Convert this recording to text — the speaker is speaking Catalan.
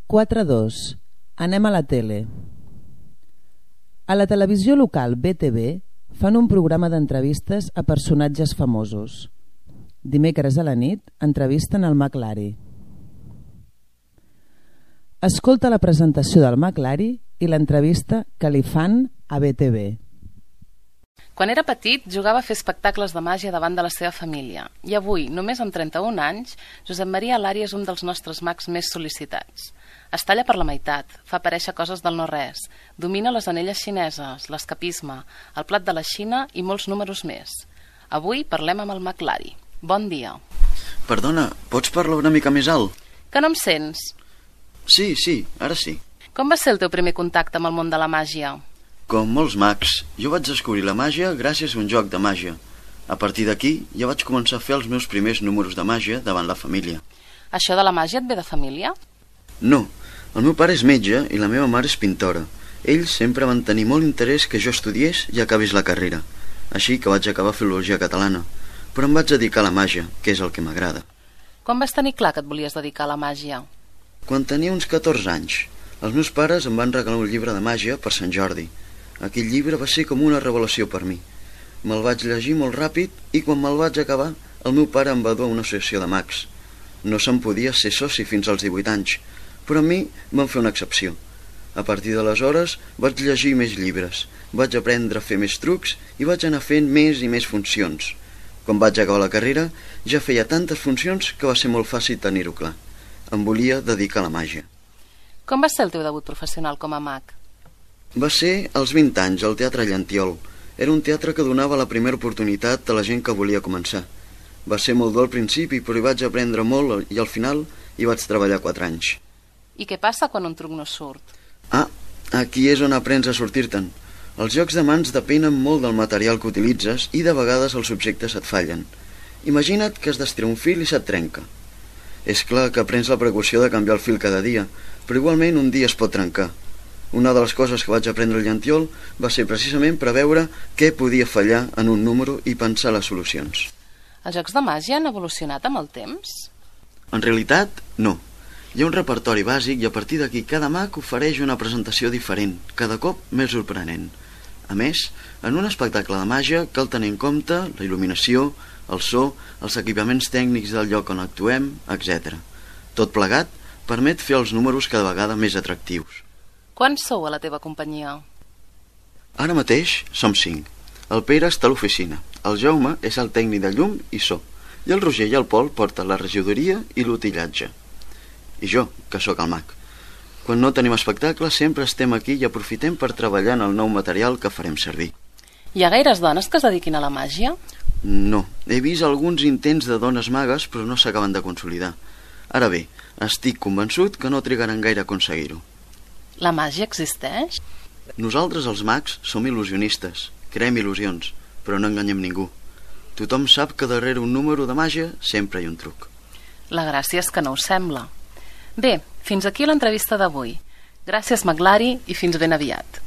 4-2. Anem a la tele. A la televisió local BTV fan un programa d'entrevistes a personatges famosos. Dimecres a la nit entrevisten el McLary. Escolta la presentació del McLary i l'entrevista que li fan a BTV. Quan era petit, jugava a fer espectacles de màgia davant de la seva família. I avui, només amb 31 anys, Josep Maria Alari és un dels nostres mags més sol·licitats. Es talla per la meitat, fa aparèixer coses del no-res, domina les anelles xineses, l'escapisme, el plat de la Xina i molts números més. Avui parlem amb el McLary. Bon dia. Perdona, pots parlar una mica més alt? Que no em sents? Sí, ara sí. Com va ser el teu primer contacte amb el món de la màgia? Com molts mags, jo vaig descobrir la màgia gràcies a un joc de màgia. A partir d'aquí ja vaig començar a fer els meus primers números de màgia davant la família. Això de la màgia et ve de família? No, el meu pare és metge i la meva mare és pintora. Ells sempre van tenir molt interès que jo estudiés i acabés la carrera. Així que vaig acabar filologia catalana, però em vaig dedicar a la màgia, que és el que m'agrada. Quan vas tenir clar que et volies dedicar a la màgia? Quan tenia uns 14 anys, els meus pares em van regalar un llibre de màgia per Sant Jordi. Aquell llibre va ser com una revelació per mi. Me'l vaig llegir molt ràpid i quan me'l vaig acabar, el meu pare em va dur a una associació de mags. No se'n podia ser soci fins als 18 anys, però a mi van fer una excepció. A partir d'aleshores vaig llegir més llibres, vaig aprendre a fer més trucs i vaig anar fent més i més funcions. Quan vaig acabar la carrera ja feia tantes funcions que va ser molt fàcil tenir-ho clar. Em volia dedicar a la màgia. Com va ser el teu debut professional com a mag? Va ser als 20 anys al Teatre Llantiol. Era un teatre que donava la primera oportunitat a la gent que volia començar. Va ser molt dur al principi, però hi vaig aprendre molt i al final hi vaig treballar 4 anys. I què passa quan un truc no surt? Aquí és on aprens a sortir-te'n. Els jocs de mans depenen molt del material que utilitzes i de vegades els objectes et fallen. Imagina't que has d'estirar un fil i se't trenca. És clar que aprens la precaució de canviar el fil cada dia, però igualment un dia es pot trencar. Una de les coses que vaig aprendre al Llantiol va ser precisament preveure què podia fallar en un número i pensar les solucions. Els jocs de màgia han evolucionat amb el temps? En realitat, no. Hi ha un repertori bàsic i a partir d'aquí cada mag ofereix una presentació diferent, cada cop més sorprenent. A més, en un espectacle de màgia cal tenir en compte la il·luminació, el so, els equipaments tècnics del lloc on actuem, etc. Tot plegat permet fer els números cada vegada més atractius. Quants sou a la teva companyia? Ara mateix som 5. El Pere està a l'oficina, el Jaume és el tècnic de llum i so, i el Roger i el Pol porten la regidoria i l'utillatge. I jo, que sóc el mag. Quan no tenim espectacle sempre estem aquí i aprofitem per treballar en el nou material que farem servir. Hi ha gaires dones que es dediquin a la màgia? No, he vist alguns intents de dones magues però no s'acaben de consolidar. Ara bé, estic convençut que no trigaran gaire a aconseguir-ho. La màgia existeix? Nosaltres els mags som il·lusionistes, creem il·lusions, però no enganyem ningú. Tothom sap que darrere un número de màgia sempre hi ha un truc. La gràcia és que no ho sembla. Bé, fins aquí l'entrevista d'avui. Gràcies, McLary, i fins ben aviat.